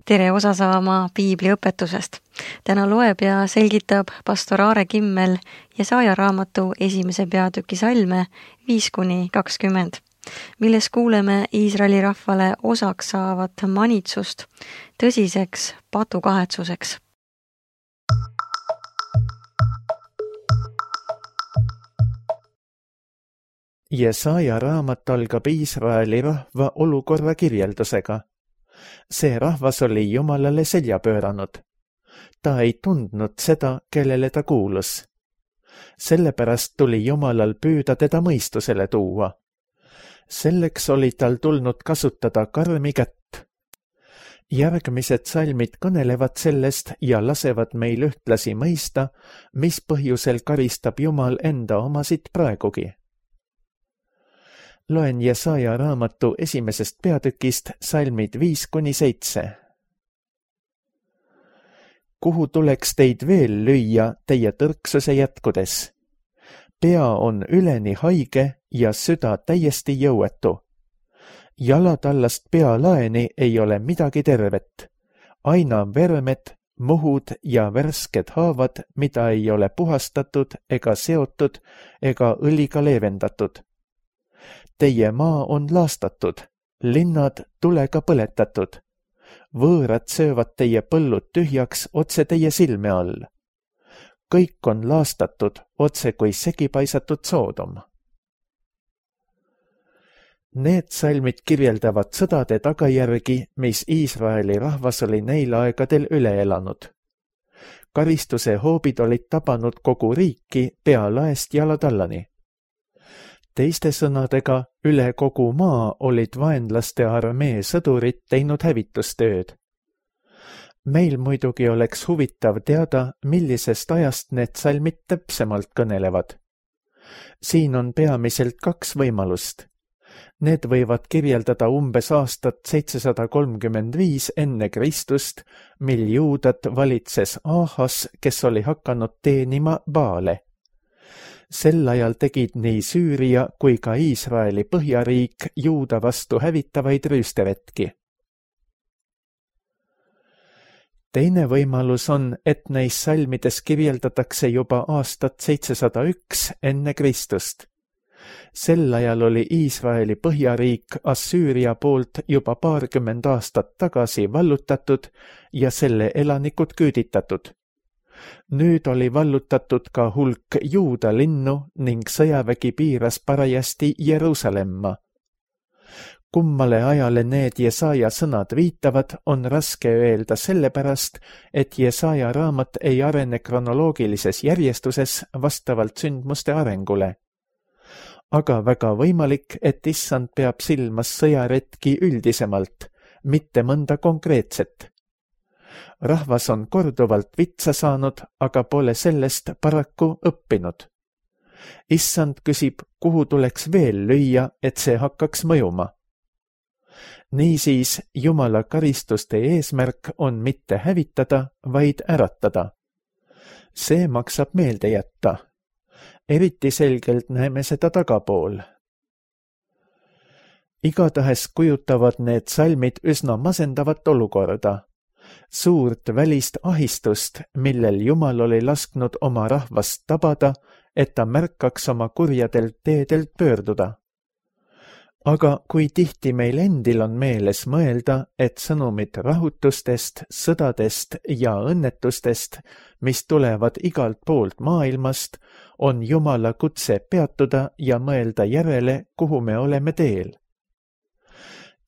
Tere osa saama piibli õpetusest. Täna loeb ja selgitab pastor Aare Kimmel Jesaja raamatu 1. peatüki salme 5-20, milles kuuleme Iisraeli rahvale osaks saavat manitsust tõsiseks patukahetsuseks. Jesaja raamat algab Iisraeli rahva olukorra kirjeldusega. See rahvas oli Jumalale selja pööranud. Ta ei tundnud seda, kellele ta kuulus. Sellepärast tuli Jumalal püüda teda mõistusele tuua. Selleks oli tal tulnud kasutada karmi kätt. Järgmised salmid kõnelevad sellest ja lasevad meil ühtlasi mõista, mis põhjusel karistab Jumal enda omasid praegugi. Loen Jesaja raamatu 1. peatükist salmid 5-7. Kuhu tuleks teid veel lüüa teie tõrksuse jätkudes? Pea on üleni haige ja süda täiesti jõuetu. Jalatallast pealaeni ei ole midagi tervet. Aina vermed, muhud ja värsked haavad, mida ei ole puhastatud ega seotud ega õliga leevendatud. Teie maa on laastatud, linnad tulega põletatud. Võõrad söövad teie põllud tühjaks otse teie silme all. Kõik on laastatud otse kui segipaisatud Soodom. Need salmid kirjeldavad sõdade tagajärgi, mis Iisraeli rahvas oli neil aegadel üle elanud. Karistuse hoobid olid tabanud kogu riiki pea laest jalatallani. Teiste sõnadega, üle kogu maa olid vaenlaste armee sõdurid teinud hävitustööd. Meil muidugi oleks huvitav teada, millisest ajast need salmid täpsemalt kõnelevad. Siin on peamiselt 2 võimalust. Need võivad kirjeldada umbes aastat 735 enne Kristust, mil juudat valitses Ahas, kes oli hakanud teenima Baale. Sel ajal tegid nii Süüria kui ka Iisraeli põhjariik juuda vastu hävitavaid rüüsteretki. Teine võimalus on, et neis salmides kirjeldatakse juba aastat 701 enne Kristust. Sel ajal oli Iisraeli põhjariik Assüüria poolt juba 20 aastat tagasi vallutatud ja selle elanikud küüditatud. Nüüd oli vallutatud ka hulk juuda linnu ning sõjavägi piiras parajasti Jeruusalemma. Kummale ajale need Jesaja sõnad viitavad, on raske öelda sellepärast, et Jesaja raamat ei arene kronoloogilises järjestuses vastavalt sündmuste arengule. Aga väga võimalik, et issand peab silmas sõjaretki üldisemalt, mitte mõnda konkreetset. Rahvas on korduvalt vitsa saanud, aga pole sellest paraku õppinud. Issand küsib, kuhu tuleks veel lüüa, et see hakkaks mõjuma. Niisiis, Jumala karistuste eesmärk on mitte hävitada, vaid äratada. See maksab meelde jätta. Eriti selgelt näeme seda tagapool. Igatahes kujutavad need salmid üsna masendavat olukorda. Suurt välist ahistust, millel Jumal oli lasknud oma rahvast tabada, et ta märkaks oma kurjadelt teedelt pöörduda. Aga kui tihti meil endil on meeles mõelda, et sõnumid rahutustest, sõdadest ja õnnetustest, mis tulevad igalt poolt maailmast, on Jumala kutse peatuda ja mõelda järele, kuhu me oleme teel.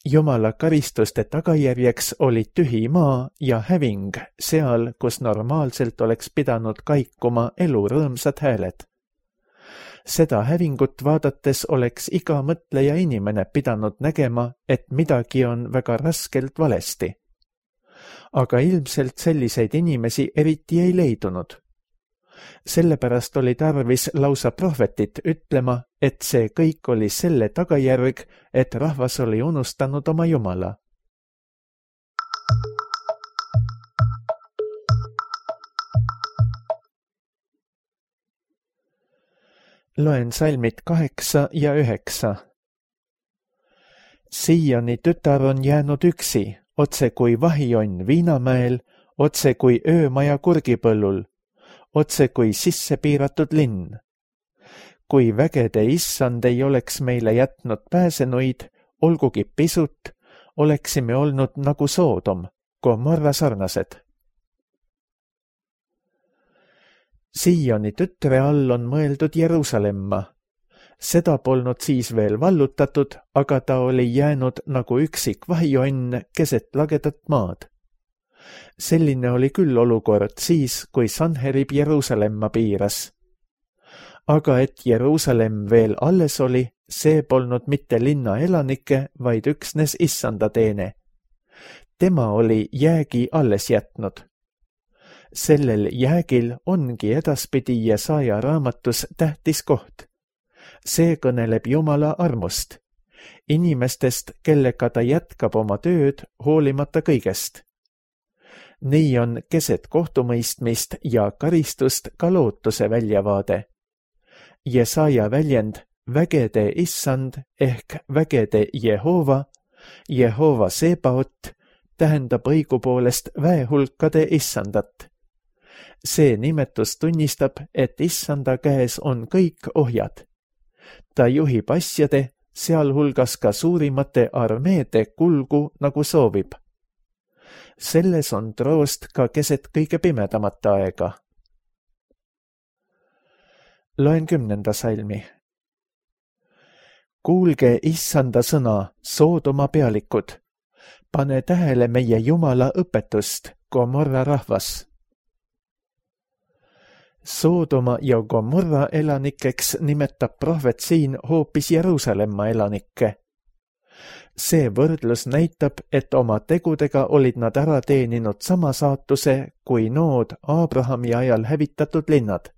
Jumala karistuste tagajärjeks oli tühi maa ja häving seal, kus normaalselt oleks pidanud kaikuma elu rõõmsad hääled. Seda hävingut vaadates oleks iga mõtleja inimene pidanud nägema, et midagi on väga raskelt valesti. Aga ilmselt selliseid inimesi eriti ei leidunud. Sellepärast oli tarvis lausa prohvetit ütlema, et see kõik oli selle tagajärg, et rahvas oli unustanud oma Jumala. Loen salmid 8 ja 9. Siioni tütar on jäänud üksi, otse kui vahijonn Viinamäel, otse kui öömaja Kurgipõllul, otse kui sisse piiratud linn. Kui vägede issand ei oleks meile jätnud pääsenuid, olgugi pisut, oleksime olnud nagu Soodom, Gomorra sarnased. Sioni tütre all on mõeldud Jeruusalemma. Seda polnud siis veel vallutatud, aga ta oli jäänud nagu üksik vahijonn keset lagedat maad. Selline oli küll olukord siis, kui Sanherib Jeruusalemma piiras. Aga et Jeruusalemm veel alles oli, see polnud mitte linna elanike, vaid üksnes issanda teene. Tema oli jäägi alles jätnud. Sellel jäägil ongi edaspidi Jesaja raamatus tähtis koht. See kõneleb Jumala armust, inimestest, kellega ta jätkab oma tööd hoolimata kõigest. Nii on keset kohtumõistmist ja karistust ka lootuse väljavaade. Jesaja väljend vägede issand ehk vägede Jehova, Jehova Sebaot, tähendab õigupoolest väehulkade issandat. See nimetus tunnistab, et issanda käes on kõik ohjad. Ta juhib asjade, sealhulgas ka suurimate armeede kulgu, nagu soovib. Selles on troost ka keset kõige pimedamat aega. Loen 10. salmi. Kuulge issanda sõna, Soodoma pealikud. Pane tähele meie Jumala õpetust, Gomorra rahvas. Soodoma ja Gomorra elanikeks nimetab prohvet siin hoopis Jeruusalemma elanikke. See võrdlus näitab, et oma tegudega olid nad ära teeninud sama saatuse kui nood Abrahami ajal hävitatud linnad.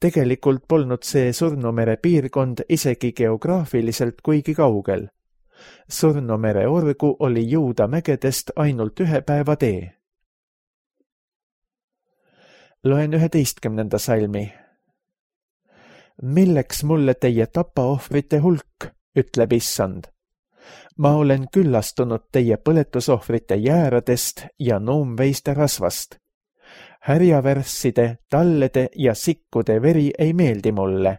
Tegelikult polnud see Surnumere piirkond isegi geograafiliselt kuigi kaugel. Surnumere orgu oli Juuda mägedest ainult 1 päeva tee. Loen 11. salmi. Milleks mulle teie tapaohvrite hulk, ütleb issand. Ma olen küllastunud teie põletusohvrite jääradest ja nuumveiste rasvast. Härjavärsside, tallede ja sikkude veri ei meeldi mulle.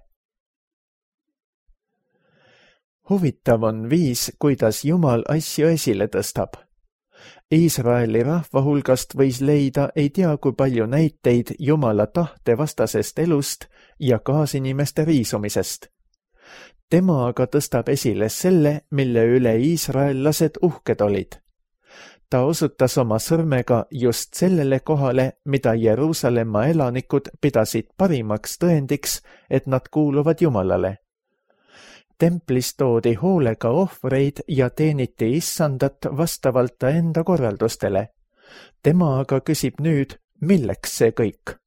Huvitav on viis, kuidas Jumal asju esile tõstab. Iisraeli rahva hulgast võis leida ei tea kui palju näiteid Jumala tahte vastasest elust ja kaasinimeste riisumisest. Tema aga tõstab esile selle, mille üle iisraellased uhked olid. Ta osutas oma sõrmega just sellele kohale, mida Jeruusalemma elanikud pidasid parimaks tõendiks, et nad kuuluvad Jumalale. Templis toodi hoolega ohvreid ja teeniti issandat vastavalt ta enda korraldustele. Tema aga küsib nüüd, milleks see kõik?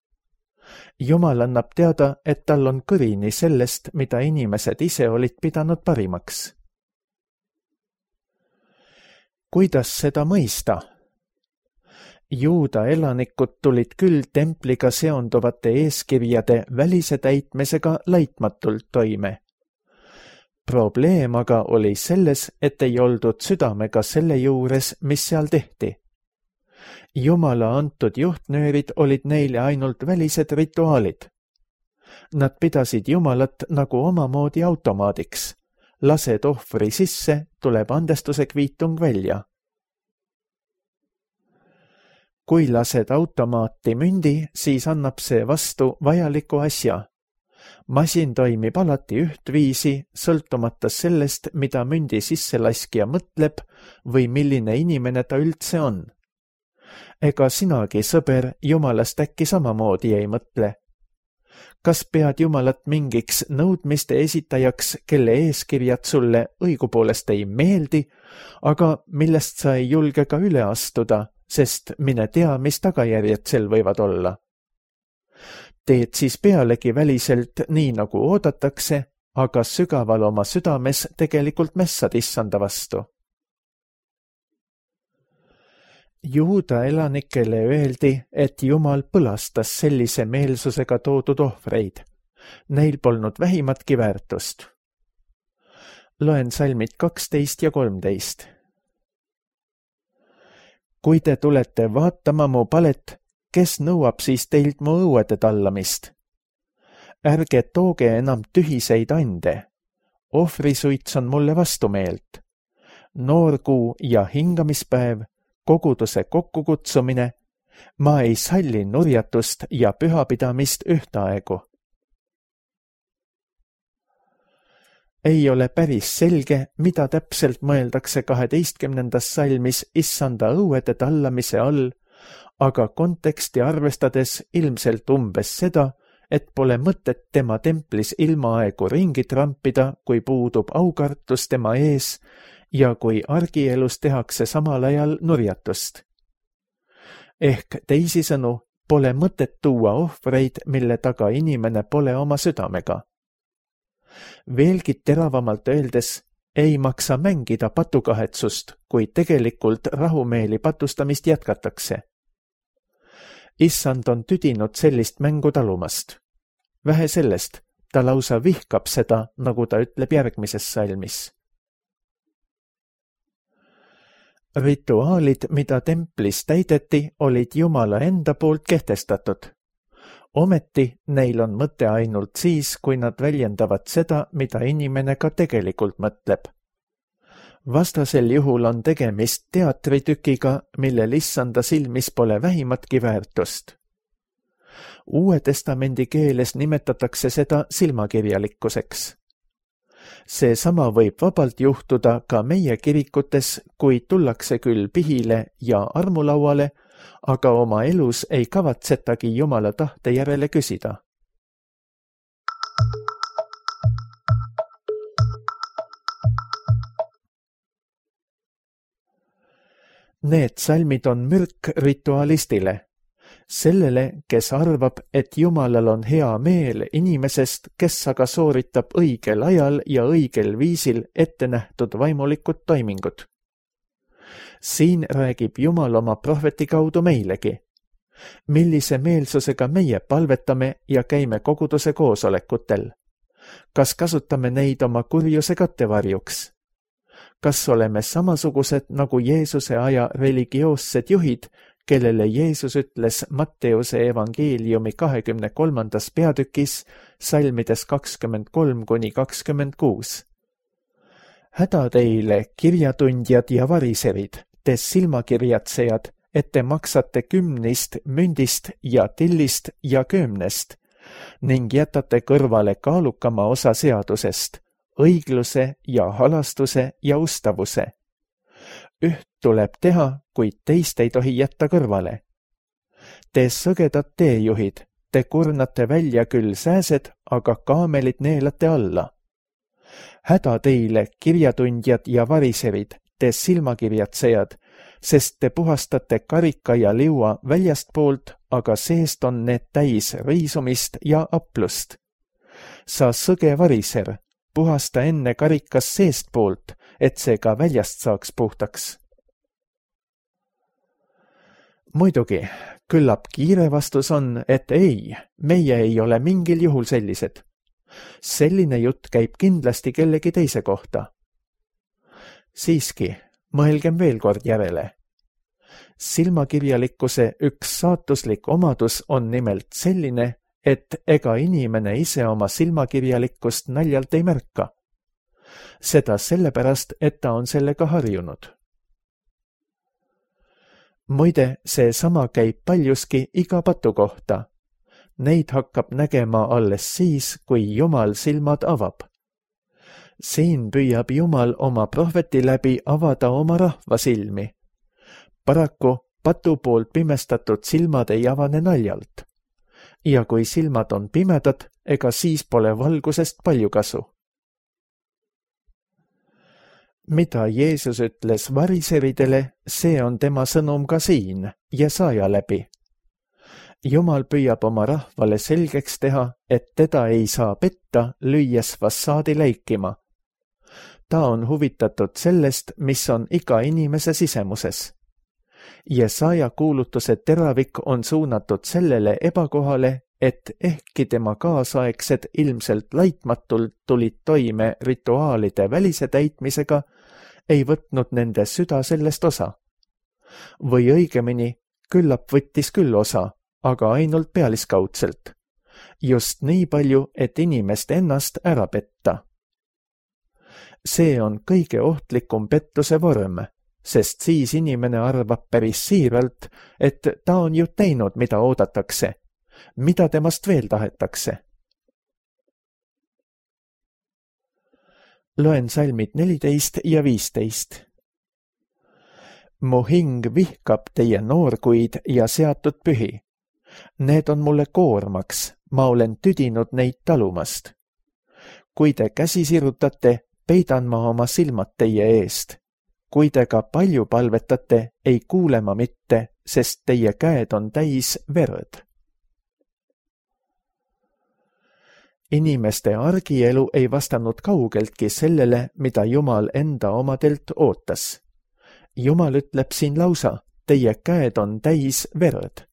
Jumal annab teada, et tal on kõrini sellest, mida inimesed ise olid pidanud parimaks. Kuidas seda mõista? Juuda elanikud tulid küll templiga seonduvate eeskirjade välise täitmisega laitmatult toime. Probleem aga oli selles, et ei oldud südamega selle juures, mis seal tehti. Jumala antud juhtnöörid olid neile ainult välised rituaalid. Nad pidasid Jumalat nagu omamoodi automaadiks. Lased ohvri sisse, tuleb andestuse kviitung välja. Kui lased automaati mündi, siis annab see vastu vajaliku asja. Masin toimib alati ühtviisi, sõltumata sellest, mida mündi sisselaskja mõtleb või milline inimene ta üldse on. Ega sinagi, sõber, Jumalast äkki samamoodi ei mõtle. Kas pead Jumalat mingiks nõudmiste esitajaks, kelle eeskirjad sulle õigupoolest ei meeldi, aga millest sa ei julge ka üle astuda, sest mine tea, mis tagajärjed sel võivad olla? Teed siis pealegi väliselt nii, nagu oodatakse, aga sügaval oma südames tegelikult mässad issanda vastu. Juuda elanikele öeldi, et Jumal põlastas sellise meelsusega toodud ohvreid. Neil polnud vähimatki väärtust. Loen salmid 12 ja 13. kui te tulete vaatama mu palet, kes nõuab siis teilt mu õuede tallamist? Ärge tooge enam tühiseid ande. Ohvrisuits on mulle vastumeelt. Noorkuu ja hingamispäev, koguduse kokkukutsumine, ma ei salli nurjatust ja pühapidamist ühtaegu. Ei ole päris selge, mida täpselt mõeldakse 12. salmis issanda õuede tallamise all, aga konteksti arvestades ilmselt umbes seda, et pole mõtet tema templis ilmaaegu ringi trampida, kui puudub aukartus tema ees ja kui argielus tehakse samal ajal nurjatust. Ehk teisisõnu, pole mõtet tuua ohvreid, mille taga inimene pole oma südamega. Veelgi teravamalt öeldes, ei maksa mängida patukahetsust, kui tegelikult rahumeeli patustamist jätkatakse. Issand on tüdinud sellist mängu talumast. Vähe sellest, ta lausa vihkab seda, nagu ta ütleb järgmises salmis. Rituaalid, mida templis täideti, olid Jumala enda poolt kehtestatud. Ometi neil on mõte ainult siis, kui nad väljendavad seda, mida inimene ka tegelikult mõtleb. Vastasel juhul on tegemist teatritükiga, millel issanda silmis pole vähimatki väärtust. Uue testamendi keeles nimetatakse seda silmakirjalikkuseks. Seesama võib vabalt juhtuda ka meie kirikutes, kui tullakse küll pihile ja armulauale, aga oma elus ei kavatsetagi Jumala tahte järele küsida. Need salmid on mürk ritualistile, sellele, kes arvab, et Jumalal on hea meel inimesest, kes aga sooritab õigel ajal ja õigel viisil ette nähtud vaimulikud toimingud. Siin räägib Jumal oma prohveti kaudu meilegi, millise meelsusega meie palvetame ja käime koguduse koosolekutel. Kas kasutame neid oma kurjuse kattevarjuks? Kas oleme samasugused nagu Jeesuse aja religioossed juhid, kellele Jeesus ütles Matteuse evangeeliumi 23. peatükis salmides 23–26. Häda teile, kirjatundjad ja variserid, te silmakirjatsejad, et te maksate kümnist, mündist ja tillist ja köömnest ning jätate kõrvale kaalukama osa seadusest, õigluse ja halastuse ja ustavuse. Üht tuleb teha, kuid teist ei tohi jätta kõrvale. Te sõgedad teejuhid, te kurnate välja küll sääsed, aga kaamelid neelate alla. Häda teile, kirjatundjad ja variserid, te silmakirjatsejad, sest te puhastate karika ja liua väljastpoolt, aga seest on need täis riisumist ja aplust. Sa sõge variser, puhasta enne karikas seestpoolt, et see ka väljast saaks puhtaks. Muidugi, küllap kiire vastus on, et ei, meie ei ole mingil juhul sellised. Selline jutt käib kindlasti kellegi teise kohta. Siiski, mõelgem veel kord järele. Silmakirjalikkuse üks saatuslik omadus on nimelt selline, et ega inimene ise oma silmakirjalikkust naljalt ei märka. Seda sellepärast, et ta on sellega harjunud. Muide, see sama käib paljuski iga patu kohta. Neid hakkab nägema alles siis, kui Jumal silmad avab. Siin püüab Jumal oma prohveti läbi avada oma rahva silmi. Paraku patu poolt pimestatud silmad ei avane naljalt. Ja kui silmad on pimedad, ega siis pole valgusest palju kasu. Mida Jeesus ütles variseridele, see on tema sõnum ka siin, Jesaja läbi. Jumal püüab oma rahvale selgeks teha, et teda ei saa petta, lüües fassaadi leikima. Ta on huvitatud sellest, mis on iga inimese sisemuses. Jesaja kuulutuse teravik on suunatud sellele ebakohale, et ehkki tema kaasaegsed ilmselt laitmatult tulid toime rituaalide välise täitmisega, ei võtnud nende süda sellest osa. Või õigemini, küllap võttis küll osa, aga ainult pealiskaudselt. Just nii palju, et inimest ennast ära petta. See on kõige ohtlikum pettuse vorm, sest siis inimene arvab päris siiralt, et ta on ju teinud, mida oodatakse, mida temast veel tahetakse. Loen salmid 14 ja 15. Mu hing vihkab teie noorkuid ja seatud pühi. Need on mulle koormaks, ma olen tüdinud neid talumast. Kui te käsi sirutate, peidan ma oma silmad teie eest. Kui te ka palju palvetate, ei kuule ma mitte, sest teie käed on täis verd. Inimeste argielu ei vastanud kaugeltki sellele, mida Jumal enda omadelt ootas. Jumal ütleb siin lausa, teie käed on täis verd.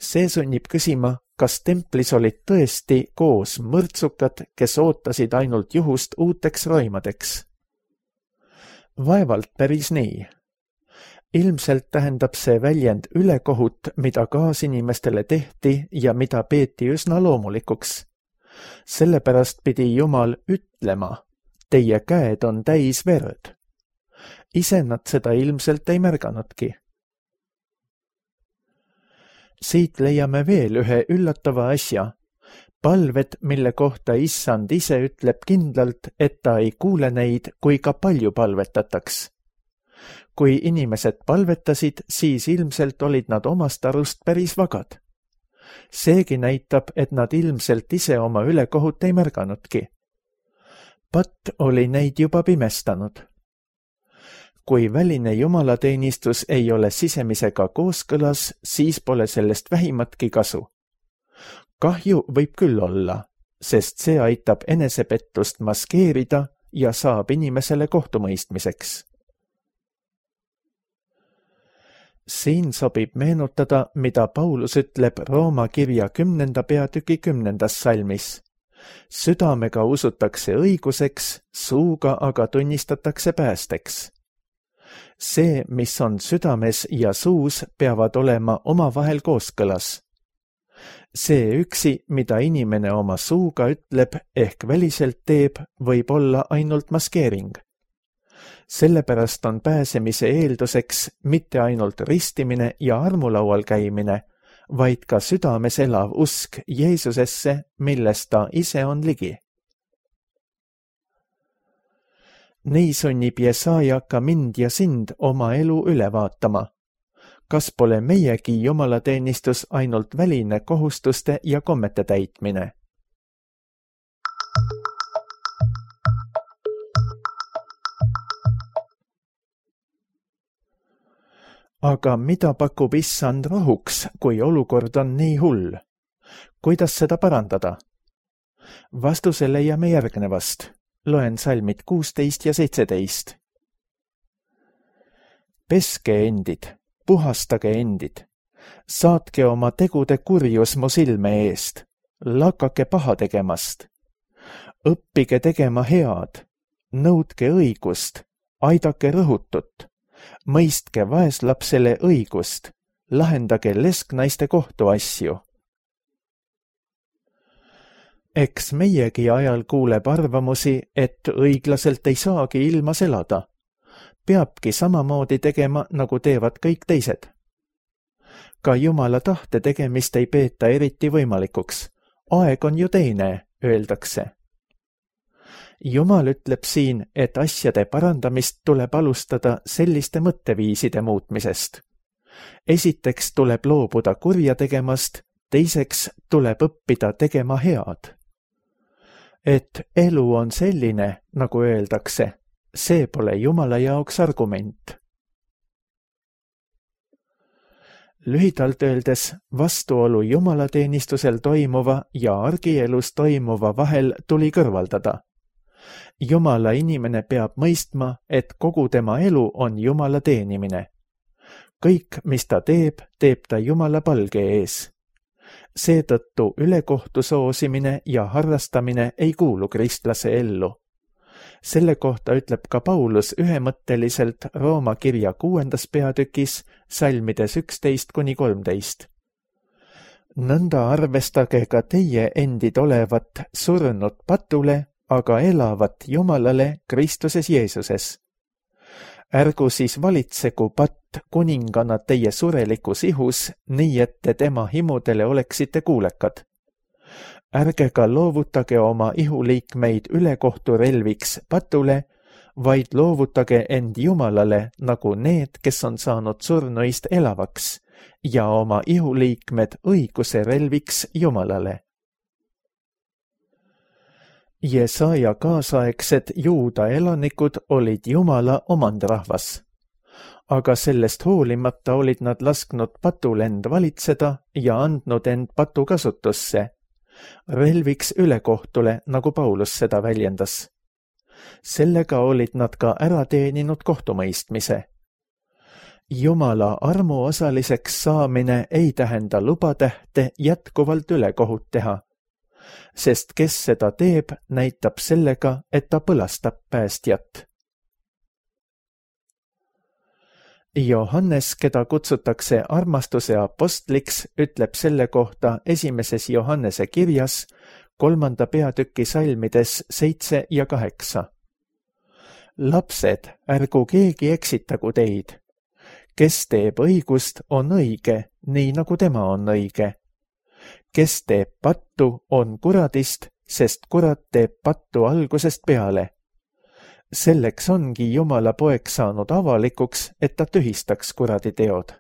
See sunnib küsima, kas templis olid tõesti koos mõrtsukad, kes ootasid ainult juhust uuteks roimadeks. Vaevalt päris nii. Ilmselt tähendab see väljend ülekohut, mida kaasinimestele tehti ja mida peeti üsna loomulikuks. Sellepärast pidi Jumal ütlema, teie käed on täis verd. Ise nad seda ilmselt ei märganudki. Siit leiame veel ühe üllatava asja. Palved, mille kohta Issand ise ütleb kindlalt, et ta ei kuule neid, kui ka palju palvetataks. Kui inimesed palvetasid, siis ilmselt olid nad omast arust päris vagad. Seegi näitab, et nad ilmselt ise oma ülekohut ei märganudki. Patt oli neid juba pimestanud. Kui väline jumalateenistus ei ole sisemisega kooskõlas, siis pole sellest vähimatki kasu. Kahju võib küll olla, sest see aitab enesepettust maskeerida ja saab inimesele kohtumõistmiseks. Siin sobib meenutada, mida Paulus ütleb Rooma kirja 10. peatüki 10. salmis. Südamega usutakse õiguseks, suuga aga tunnistatakse päästeks. See, mis on südames ja suus, peavad olema omavahel kooskõlas. See üksi, mida inimene oma suuga ütleb ehk väliselt teeb, võib olla ainult maskeering. Sellepärast on pääsemise eelduseks mitte ainult ristimine ja armulaual käimine, vaid ka südames elav usk Jeesusesse, millest ta ise on ligi. Nii sunnib Jesaja ka mind ja sind oma elu üle vaatama. Kas pole meiegi jumalateenistus ainult väline kohustuste ja kommete täitmine? Aga mida pakub Issand rahuks, kui olukord on nii hull? Kuidas seda parandada? Vastuse leiame järgnevast. Loen salmid 16 ja 17. Peske endid, puhastage endid, saatke oma tegude kurjus mu silme eest, lakake paha tegemast. Õppige tegema head, nõudke õigust, aidake rõhutut, mõistke vaeslapsele õigust, lahendage lesknaiste kohtuasju. Eks meiegi ajal kuuleb arvamusi, et õiglaselt ei saagi ilmas elada. Peabki samamoodi tegema, nagu teevad kõik teised. Ka Jumala tahte tegemist ei peeta eriti võimalikuks. Aeg on ju teine, öeldakse. Jumal ütleb siin, et asjade parandamist tuleb alustada selliste mõtteviiside muutmisest. Esiteks tuleb loobuda kurja tegemast, teiseks tuleb õppida tegema head. Et elu on selline, nagu öeldakse, see pole Jumala jaoks argument. Lühidalt öeldes, vastuolu jumalateenistusel toimuva ja argielus toimuva vahel tuli kõrvaldada. Jumala inimene peab mõistma, et kogu tema elu on Jumala teenimine. Kõik, mis ta teeb, teeb ta Jumala palge ees. Seetõttu ülekohtu soosimine ja harrastamine ei kuulu kristlase ellu. Selle kohta ütleb ka Paulus ühemõtteliselt Rooma kirja 6. peatükis salmides 11-13. Nõnda arvestage ka teie endid olevat surnud patule, aga elavat Jumalale Kristuses Jeesuses. Ärgu siis valitsegu patt kuningana teie surelikus ihus, nii et te tema himudele oleksite kuulekad. Ärge ka loovutage oma ihuliikmeid ülekohturelviks patule, vaid loovutage end Jumalale nagu need, kes on saanud surnuist elavaks, ja oma ihuliikmed õiguse relviks Jumalale. Jesaja kaasaegsed juuda elanikud olid Jumala omandrahvas, aga sellest hoolimata olid nad lasknud patul end valitseda ja andnud end patu kasutusse, relviks ülekohtule, nagu Paulus seda väljendas. Sellega olid nad ka ära teeninud kohtumõistmise. Jumala armuosaliseks saamine ei tähenda lubatähte jätkuvalt ülekohut teha, sest kes seda teeb, näitab sellega, et ta põlastab päästjat. Johannes, keda kutsutakse armastuse apostliks, ütleb selle kohta 1. Johannese kirjas 3. peatüki salmides 7 ja 8. Lapsed, ärgu keegi eksitagu teid. Kes teeb õigust, on õige, nii nagu tema on õige. Kes teeb pattu, on kuradist, sest kurat teeb pattu algusest peale. Selleks ongi Jumala poeg saanud avalikuks, et ta tühistaks kuradi teod.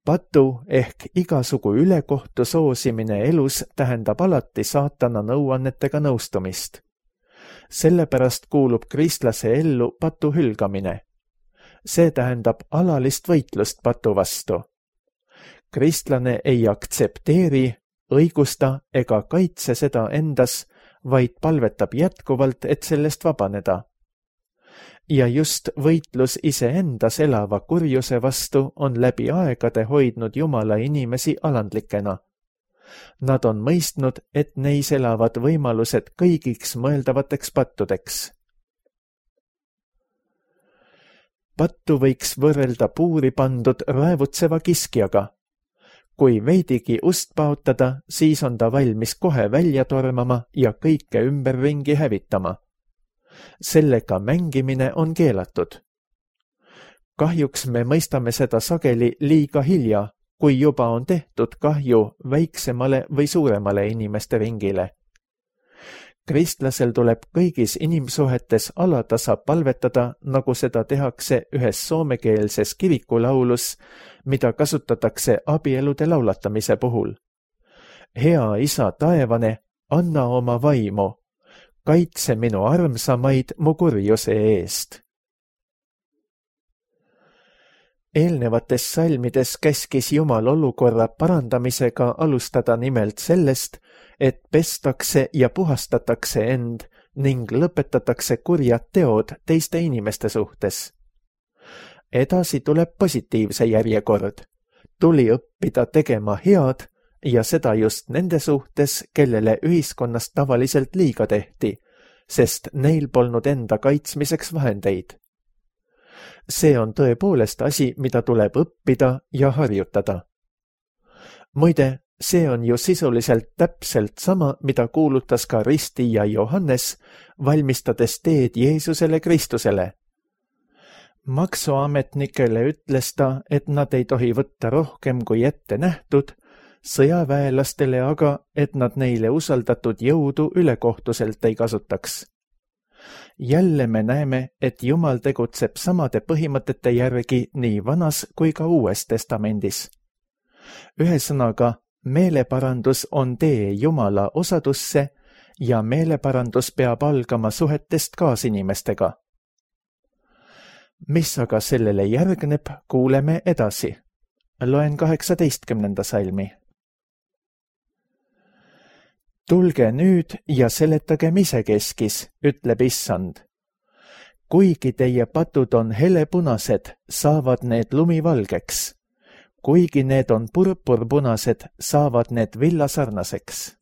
Patu ehk igasugu ülekohtu soosimine elus tähendab alati saatana nõuannetega nõustumist. Sellepärast kuulub kristlase ellu patu hülgamine. See tähendab alalist võitlust patu vastu. Kristlane ei aktsepteeri, õigusta ega kaitse seda endas, vaid palvetab jätkuvalt, et sellest vabaneda. Ja just võitlus iseendas elava kurjuse vastu on läbi aegade hoidnud Jumala inimesi alandlikena. Nad on mõistnud, et neis elavad võimalused kõigiks mõeldavateks pattudeks. Pattu võiks võrrelda puuri pandud raevutseva kiskjaga. Kui veidigi ust paotada, siis on ta valmis kohe välja tormama ja kõike ümberringi hävitama. Sellega mängimine on keelatud. Kahjuks me mõistame seda sageli liiga hilja, kui juba on tehtud kahju väiksemale või suuremale inimeste ringile. Kristlasel tuleb kõigis inimsuhetes alatasa palvetada, nagu seda tehakse ühes soomekeelses kirikulaulus, mida kasutatakse abielude laulatamise puhul. Hea Isa taevane, anna oma vaimu, kaitse minu armsamaid mu kurjuse eest. Eelnevates salmides käskis Jumal olukorra parandamisega alustada nimelt sellest, et pestakse ja puhastatakse end ning lõpetatakse kurjad teod teiste inimeste suhtes. Edasi tuleb positiivse järjekord. Tuli õppida tegema head ja seda just nende suhtes, kellele ühiskonnas tavaliselt liiga tehti, sest neil polnud enda kaitsmiseks vahendeid. See on tõepoolest asi, mida tuleb õppida ja harjutada. Muide, see on ju sisuliselt täpselt sama, mida kuulutas ka ristija Johannes, valmistades teed Jeesusele Kristusele. Maksuametnikele ütles ta, et nad ei tohi võtta rohkem kui ette nähtud, sõjaväelastele aga, et nad neile usaldatud jõudu ülekohtuselt ei kasutaks. Jälle me näeme, et Jumal tegutseb samade põhimõtete järgi nii Vanas kui ka Uues Testamendis. Ühesõnaga, meeleparandus on tee Jumala osadusse ja meeleparandus peab algama suhetest kaasinimestega. Mis aga sellele järgneb, kuuleme edasi. Loen 18. salmi. Tulge nüüd ja seletagem isekeskis, ütleb Issand. Kuigi teie patud on helepunased, saavad need lumivalgeks. Kuigi need on purpurpunased, saavad need villasarnaseks.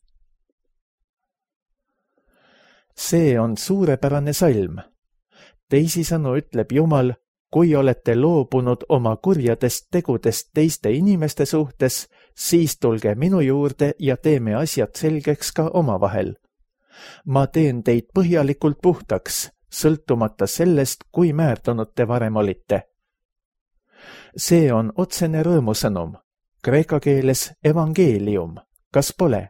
See on suurepärane salm. Teisisõnu ütleb Jumal, kui olete loobunud oma kurjadest tegudest teiste inimeste suhtes, siis tulge minu juurde ja teeme asjad selgeks ka omavahel. Ma teen teid põhjalikult puhtaks, sõltumata sellest, kui määrdunud te varem olite. See on otsene rõõmusõnum, kreeka keeles evangeelium, kas pole?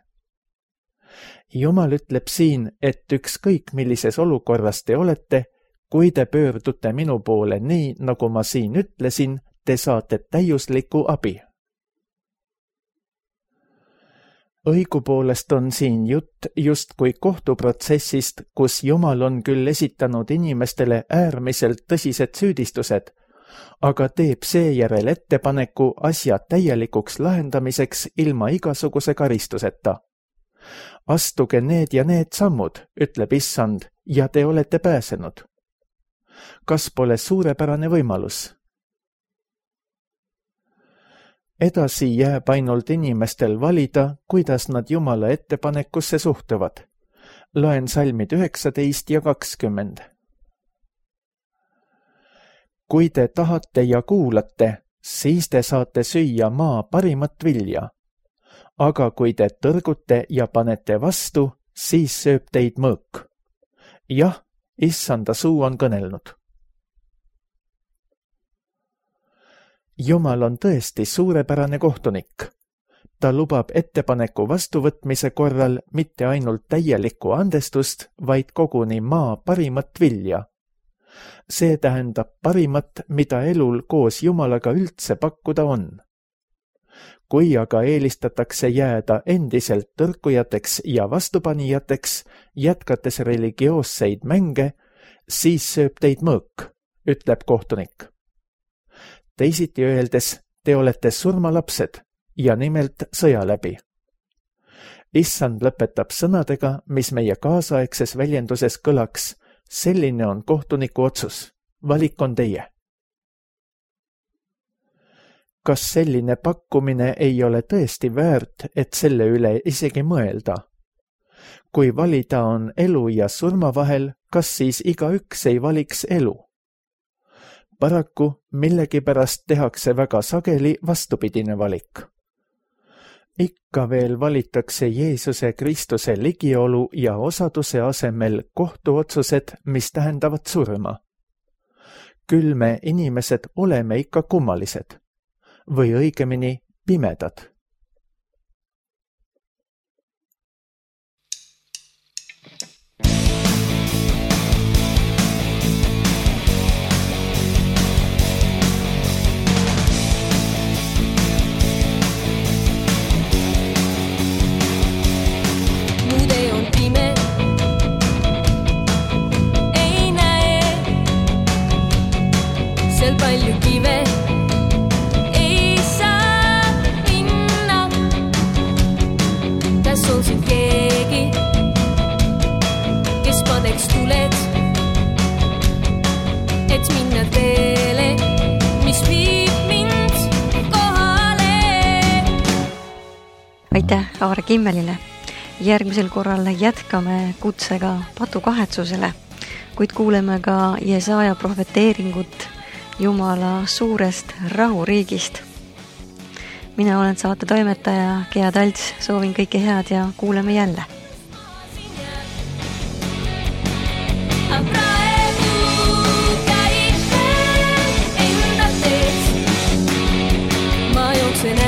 Jumal ütleb siin, et ükskõik millises olukorras te olete, kui te pöördute minu poole nii, nagu ma siin ütlesin, te saate täiuslikku abi. Õigupoolest on siin jutt justkui kohtuprotsessist, kus Jumal on küll esitanud inimestele äärmiselt tõsised süüdistused, aga teeb seejärel ettepaneku asja täielikuks lahendamiseks ilma igasuguse karistuseta. Astuge need ja need sammud, ütleb Issand, ja te olete pääsenud. Kas pole suurepärane võimalus? Edasi jääb ainult inimestel valida, kuidas nad Jumala ettepanekusse suhtuvad. Loen salmid 19 ja 20. Kui te tahate ja kuulate, siis te saate süüa maa parimat vilja. Aga kui te tõrgute ja panete vastu, siis sööb teid mõõk. Jah, Issanda suu on kõnelnud. Jumal on tõesti suurepärane kohtunik. Ta lubab ettepaneku vastuvõtmise korral mitte ainult täielikku andestust, vaid koguni maa parimat vilja. See tähendab parimat, mida elul koos Jumalaga üldse pakkuda on. Kui aga eelistatakse jääda endiselt tõrkujateks ja vastupanijateks, jätkates religioosseid mänge, siis sööb teid mõõk, ütleb kohtunik. Teisiti öeldes, te olete surmalapsed ja nimelt sõja läbi. Issand lõpetab sõnadega, mis meie kaasaegses väljenduses kõlaks, selline on kohtuniku otsus, valik on teie. Kas selline pakkumine ei ole tõesti väärt, et selle üle isegi mõelda? Kui valida on elu ja surma vahel, kas siis igaüks ei valiks elu? Paraku millegipärast tehakse väga sageli vastupidine valik. Ikka veel valitakse Jeesuse Kristuse ligiolu ja osaduse asemel kohtuotsused, mis tähendavad surma. Küll me inimesed oleme ikka kummalised. Või õigemini pimedad. Palju kive ei saa minna. Kas on siin keegi, kes paneks tuled, et minna teele, mis viib mind kohale? Aitäh Aare Kimmelile. Järgmisel korral jätkame kutsega patukahetsusele, kuid kuuleme ka Jesaja prohveteeringut Jumala suurest rahuriigist. Mina olen saate toimetaja Gea Talts, soovin kõike head ja kuuleme jälle. Praegu käib enda teed, ma jooksen